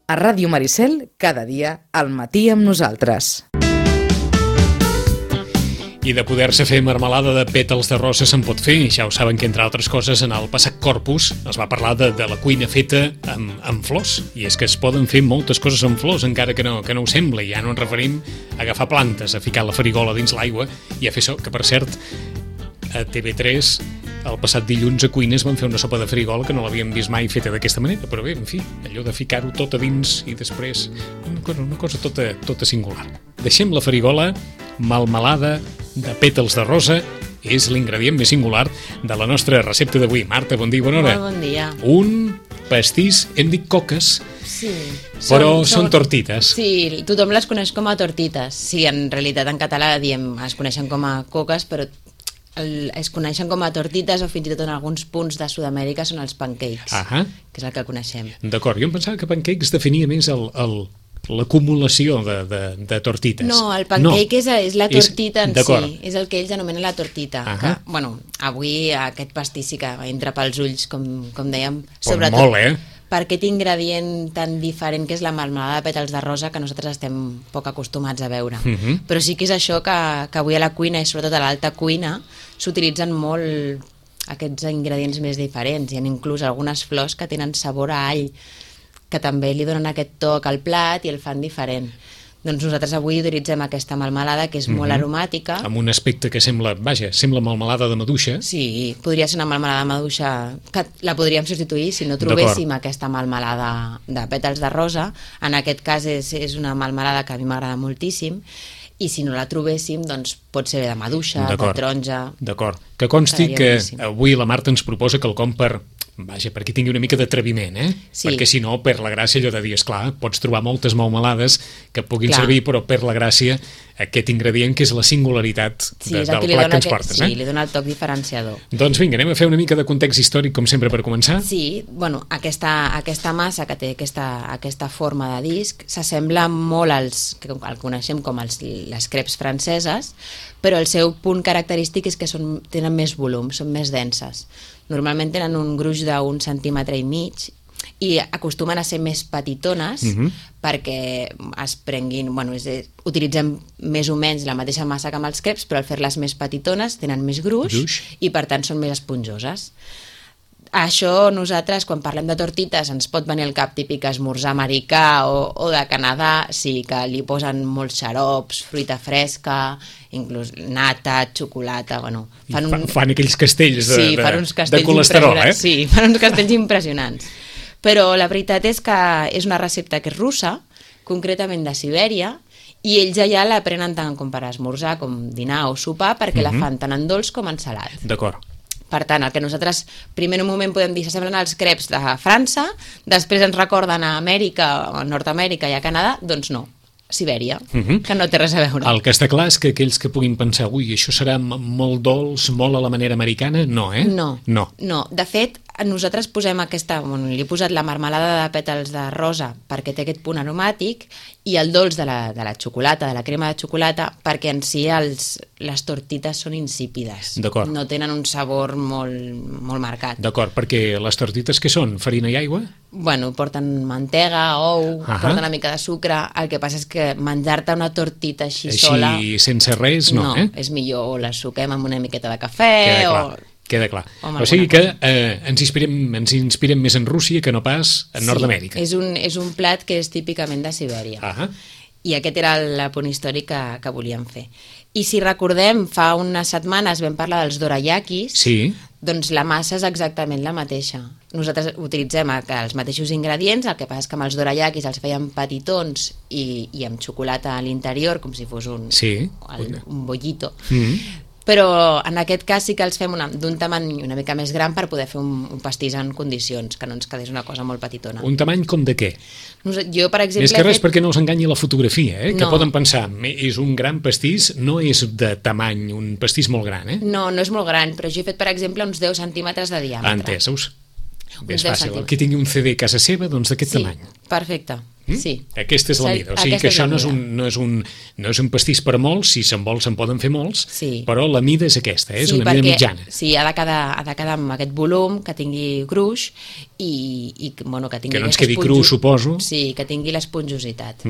A Ràdio Maricel, cada dia, al matí amb nosaltres. I de poder-se fer marmelada de pètals de rosa se'n pot fer. Ja ho saben que, entre altres coses, en el passat Corpus es va parlar de la cuina feta amb flors. I és que es poden fer moltes coses amb flors, encara que no ho sembli. Ja no ens referim a agafar plantes, a ficar la farigola dins l'aigua i a fer això, que per cert, a TV3 el passat dilluns a Cuines van fer una sopa de farigola que no l'havíem vist mai feta d'aquesta manera, però bé, en fi, allò de ficar-ho tot a dins i després una cosa tota singular. Deixem la farigola, melmelada de pètals de rosa, és l'ingredient més singular de la nostra recepta d'avui. Marta, bon dia, bona hora. Molt bon dia. Un pastís, hem dit coques, sí, però són tortites. Sí, tothom les coneix com a tortites. Sí, en realitat en català es coneixen com a coques, però es coneixen com a tortites o fins i tot en alguns punts de Sud-amèrica són els pancakes, que és el que coneixem. D'acord, jo em pensava que pancakes definia més l'acumulació de tortites. No, el pancake és la tortita en si, és el que ells anomenen la tortita. Que, avui aquest pastís sí que entra pels ulls, com dèiem, sobretot molt, per aquest ingredient tan diferent que és la melmelada de pètals de rosa, que nosaltres estem poc acostumats a veure. Però sí que és això que avui a la cuina, i sobretot a l'alta cuina, s'utilitzen molt aquests ingredients més diferents. Hi ha inclús algunes flors que tenen sabor a all, que també li donen aquest toc al plat i el fan diferent. Doncs nosaltres avui utilitzem aquesta melmelada, que és molt aromàtica. Amb un aspecte que sembla melmelada de maduixa. Sí, podria ser una melmelada de maduixa, que la podríem substituir si no trobéssim aquesta melmelada de pètals de rosa. En aquest cas és una melmelada que a mi m'agrada moltíssim, i si no la trobéssim, doncs pot ser de maduixa, de taronja... D'acord. Que consti que avui la Marta ens proposa quelcom perquè tingui una mica d'atreviment, Sí. Perquè si no, per la gràcia, allò de dir, esclar, pots trobar moltes melmelades que puguin servir, però per la gràcia, aquest ingredient que és la singularitat del plat que ens portes. Sí, li dona el toc diferenciador. Doncs vinga, anem a fer una mica de context històric, com sempre, per començar. Sí, bueno, aquesta massa que té aquesta forma de disc s'assembla molt al que coneixem com les crepes franceses, però el seu punt característic és que tenen més volum, són més denses. Normalment tenen un gruix d'1,5 centímetres i acostumen a ser més petitones perquè es prenguin... utilitzem més o menys la mateixa massa que amb els crepes, però al fer-les més petitones tenen més gruix i per tant són més esponjoses. Això nosaltres, quan parlem de tortites, ens pot venir al cap típic esmorzar americà o de Canadà, sí, que li posen molts xarops, fruita fresca, inclús nata, xocolata, Fan aquells castells de colesterol, Sí, fan uns castells impressionants. Però la veritat és que és una recepta que és russa, concretament de Sibèria, i ells allà la prenen tant com per esmorzar, com dinar o sopar, perquè la fan tant en dolç com en salat. D'acord. Per tant, el que nosaltres primer en un moment podem dir s'assemblen als crepes de França, després ens recorden a Amèrica, a Nord-amèrica i a Canadà, doncs no, Sibèria, que no té res a veure. El que està clar és que aquells que puguin pensar això serà molt dolç, molt a la manera americana, no, No, de fet, nosaltres posem li he posat la marmelada de pètals de rosa perquè té aquest punt aromàtic i el dolç de la xocolata, de la crema de xocolata, perquè en si les tortites són insípides. D'acord. No tenen un sabor molt marcat. D'acord, perquè les tortites què són? Farina i aigua? Porten mantega, ou, porten una mica de sucre. El que passa és que menjar-te una tortita així sola... Així, sense res, no, és millor o la suquem amb una miqueta de cafè Queda clar. O sigui que ens inspirem més en Rússia que no pas en Nord-amèrica. És un plat que és típicament de Sibèria. I aquest era el punt històric que volíem fer. I si recordem, fa unes setmanes vam parlar dels dorayakis, doncs la massa és exactament la mateixa. Nosaltres utilitzem els mateixos ingredients, el que passa és que amb els dorayakis els fèiem petitons i amb xocolata a l'interior, com si fos un bollito. Però en aquest cas sí que els fem d'un tamany una mica més gran per poder fer un pastís en condicions, que no ens quedés una cosa molt petitona. Un tamany com de què? Jo, per exemple... Més que res perquè no us enganyi la fotografia, que poden pensar, és un gran pastís, no és de tamany, un pastís molt gran, No és molt gran, però jo he fet, per exemple, uns 10 centímetres de diàmetre. Entesos. És fàcil. El que tingui un CD a casa seva, doncs d'aquest tamany. Perfecte. Sí. Aquesta és la mida. O sigui que això no és un pastís per molts, si se'n vol se'n poden fer molts, però la mida és aquesta, és una mida mitjana. Sí, ha de quedar amb aquest volum, que tingui gruix i bueno, que tingui... Que no ens quedi cru, suposo. Sí, que tingui l'esponjositat.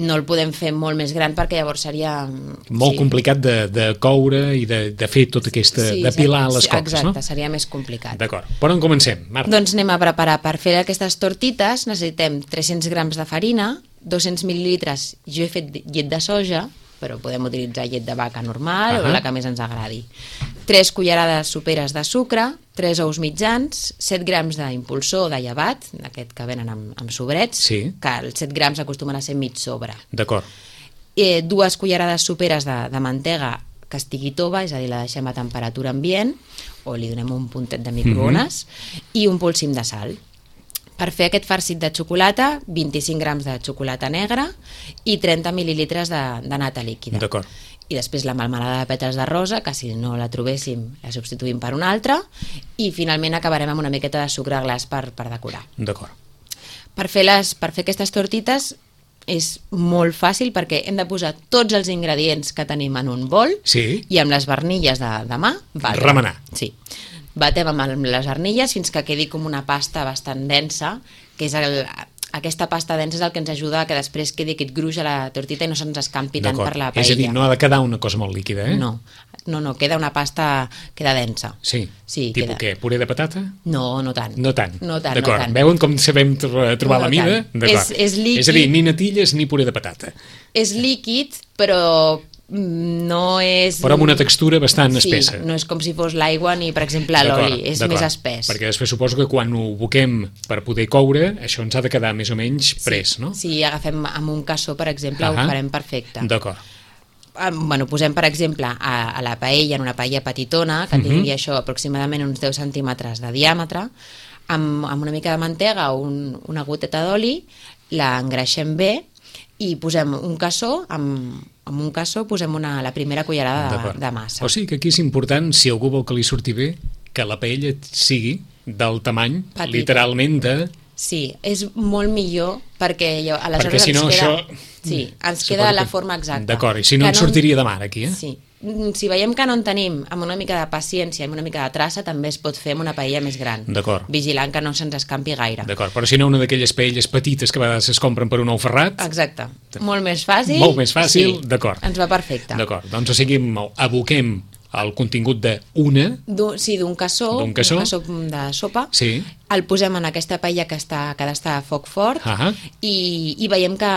No el podem fer molt més gran perquè llavors seria... Molt complicat de coure i de fer tot aquesta... d'apilar les coques, no? Exacte, seria més complicat. D'acord. Per on comencem, Marta? Doncs anem a preparar. Per fer aquestes tortites necessitem 300 grams de farina, 200 mil·lilitres, jo he fet llet de soja, però podem utilitzar llet de vaca normal o la que més ens agradi. 3 cullerades soperes de sucre, 3 ous mitjans, 7 grams d'impulsor de llevat, aquest que venen amb sobrets, que els 7 grams acostumen a ser mig sobre. D'acord. 2 cullerades soperes de mantega que estigui tova, és a dir, la deixem a temperatura ambient, o li donem un puntet de microones, i un polsim de sal. Per fer aquest farcit de xocolata, 25 grams de xocolata negra i 30 mil·lilitres de nata líquida. D'acord. I després la melmelada de pètals de rosa, que si no la trobéssim la substituïm per una altra, i finalment acabarem amb una miqueta de sucre glaç per decorar. D'acord. Per fer aquestes tortites és molt fàcil perquè hem de posar tots els ingredients que tenim en un bol i amb les barnilles de mà remenar. Sí. Batem amb les arnilles fins que quedi com una pasta bastant densa, que és aquesta pasta densa és el que ens ajuda a que després quedi aquest gruix a la tortita i no se'ns escampi tant per la paella. És a dir, no ha de quedar una cosa molt líquida, eh? No, queda una pasta, queda densa. Sí, tipus què? Puré de patata? No, no tant. No tant. D'acord, veuen com sabem trobar la mida? D'acord. És líquid. És a dir, ni natilles ni puré de patata. És líquid, però no és... Però amb una textura bastant espessa. Sí, no és com si fos l'aigua ni, per exemple, l'oli, és més espès. Perquè després suposo que quan ho boquem per poder coure, això ens ha de quedar més o menys pres, no? Si agafem amb un cassó, per exemple, ho farem perfecte. D'acord. Bueno, posem, per exemple, a la paella, en una paella petitona, que tingui això aproximadament uns 10 centímetres de diàmetre, amb una mica de mantega o una goteta d'oli, la engreixem bé i posem un cassó, amb un cassó posem la primera cullerada de massa. O sigui que aquí és important, si algú vol que li surti bé, que la paella sigui del tamany, literalment de... Sí, és molt millor perquè aleshores perquè si no ens queda... això... Sí, ens queda la forma exacta. D'acord, i si no ens sortiria de mar aquí, eh? Sí. Si veiem que no en tenim, amb una mica de paciència, amb una mica de traça, també es pot fer amb una paella més gran. D'acord. Vigilant que no se'ns escampi gaire. D'acord, però si no una d'aquelles paelles petites que a vegades es compren per un ou ferrat... Exacte. Molt més fàcil. Molt més fàcil, sí. D'acord. Ens va perfecte. D'acord, doncs o sigui, aboquem el contingut d'una... Sí, d'un cassó, un cassó de sopa. Sí. El posem en aquesta paella que ha d'estar a foc fort i veiem que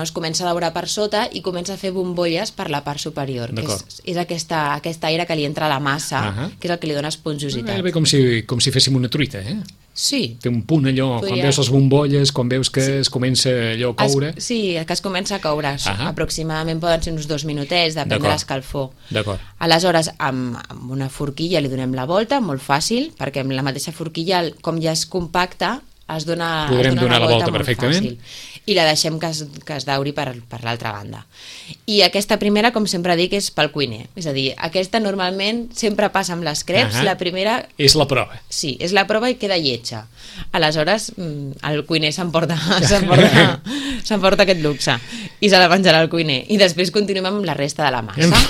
es comença a daurar per sota i comença a fer bombolles per la part superior, que és aquesta aire que li entra a la massa, que és el que li dona esponjositat. Bé, com si féssim una truita, eh? Sí. Té un punt allò, quan veus les bombolles, quan veus que es comença allò a coure... Sí, que es comença a coure. Aproximadament poden ser uns 2 minutets, depèn de l'escalfor. D'acord. Aleshores, amb una forquilla li donem la volta, molt fàcil, perquè amb la mateixa forquilla, com ja és compacta, podrem donar la volta perfectament. Fàcil. I la deixem que es dauri per l'altra banda. I aquesta primera, com sempre dic, és pel cuiner. És a dir, aquesta normalment sempre passa amb les creps. La primera... És la prova. Sí, és la prova i queda lletja. Aleshores, el cuiner s'emporta aquest luxe i se la menjarà el cuiner. I després continuem amb la resta de la massa.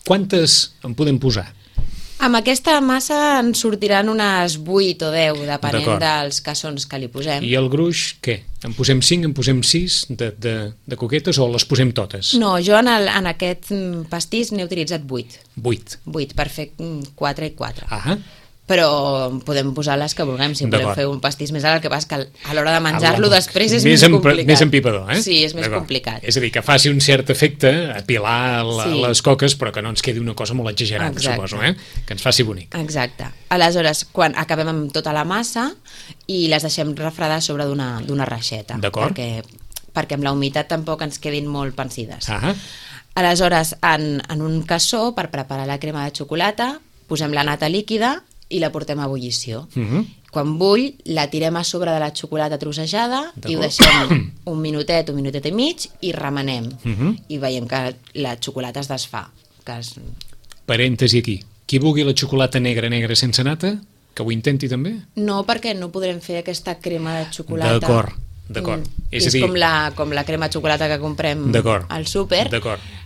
Quantes en podem posar? Amb aquesta massa en sortiran unes 8 o 10, depenent dels cassons que li posem. I el gruix, què? En posem 5, en posem 6 de coquetes o les posem totes? No, jo en aquest pastís n'he utilitzat 8. 8? 8, per fer 4 i 4. Però podem posar les que vulguem, si volem fer un pastís més alt, el que passa que a l'hora de menjar-lo després és més complicat. Més empipador, eh? Sí, és més complicat. És a dir, que faci un cert efecte, apilar les coques, però que no ens quedi una cosa molt exagerada, suposo, eh? Que ens faci bonic. Exacte. Aleshores, quan acabem amb tota la massa i les deixem refredar sobre d'una reixeta. D'acord. Perquè amb la humitat tampoc ens quedin molt pansides. Aleshores, en un cassó, per preparar la crema de xocolata, posem la nata líquida i la portem a ebullició. Quan bull, la tirem a sobre de la xocolata trossejada i ho deixem un minutet i mig i remenem. I veiem que la xocolata es desfà. Parèntesi aquí. Qui vulgui la xocolata negra sense nata, que ho intenti també? No, perquè no podrem fer aquesta crema de xocolata. D'acord. D'acord. És com la crema de xocolata que comprem al súper.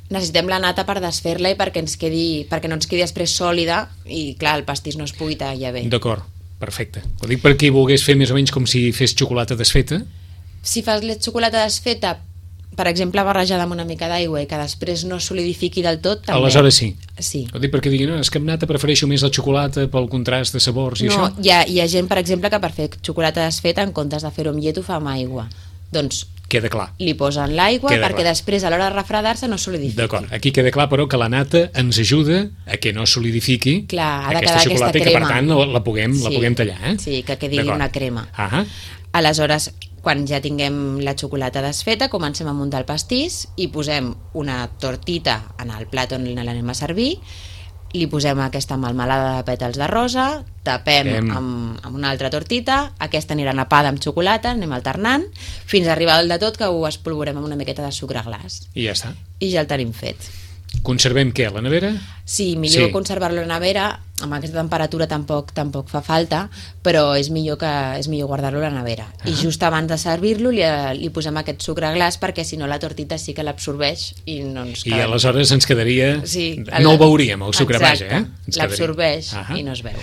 Necessitem la nata per desfer-la i perquè no ens quedi després sòlida i, clar, el pastís no es pugui tallar bé. D'acord, perfecte. Ho dic per qui volgués fer més o menys com si fes xocolata desfeta. Si fas xocolata desfeta, per exemple, barrejada amb una mica d'aigua i que després no solidifiqui del tot, també. Aleshores sí. Sí. Ho dic perquè diguin, no, és que amb nata prefereixo més la xocolata pel contrast de sabors i això. No, hi ha gent, per exemple, que per fer xocolata desfeta, en comptes de fer-ho amb llet, ho fa amb aigua. Doncs queda clar. Li posen l'aigua perquè després a l'hora de refredar-se no solidifiqui. D'acord, aquí queda clar però que la nata ens ajuda a que no solidifiqui aquesta xocolata i que per tant la puguem tallar. Sí, que quedi una crema. Aleshores, quan ja tinguem la xocolata desfeta, comencem a muntar el pastís i posem una tortita en el plat on l'anem a servir, li posem aquesta melmelada de pètals de rosa, tapem amb una altra tortita, aquesta anirà napada amb xocolata, anem alternant, fins a arribar al de tot que ho espolvorem amb una miqueta de sucre glaç. I ja està. I ja el tenim fet. Conservem què, a la nevera? Sí, millor conservar-lo a la nevera, amb aquesta temperatura tampoc fa falta, però és millor guardar-lo a la nevera. I just abans de servir-lo li posem aquest sucre glaç perquè si no la tortita sí que l'absorbeix i no ens queda. I aleshores ens quedaria... No ho veuríem, el sucre vaja. Exacte, l'absorbeix i no es veu.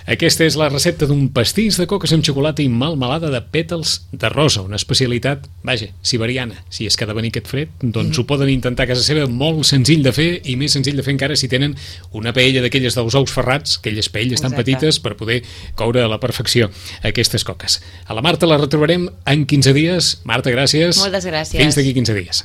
Aquesta és la recepta d'un pastís de coques amb xocolata i melmelada de pètals de rosa, una especialitat, vaja, siberiana. Si és que ha de venir aquest fred, doncs ho poden intentar a casa seva, molt senzill de fer i més senzill de fer encara si tenen una paella d'aquelles dels ous ferrats, aquelles paelles tan petites per poder coure a la perfecció aquestes coques. A la Marta la retrobarem en 15 dies. Marta, gràcies. Moltes gràcies. Fins d'aquí 15 dies.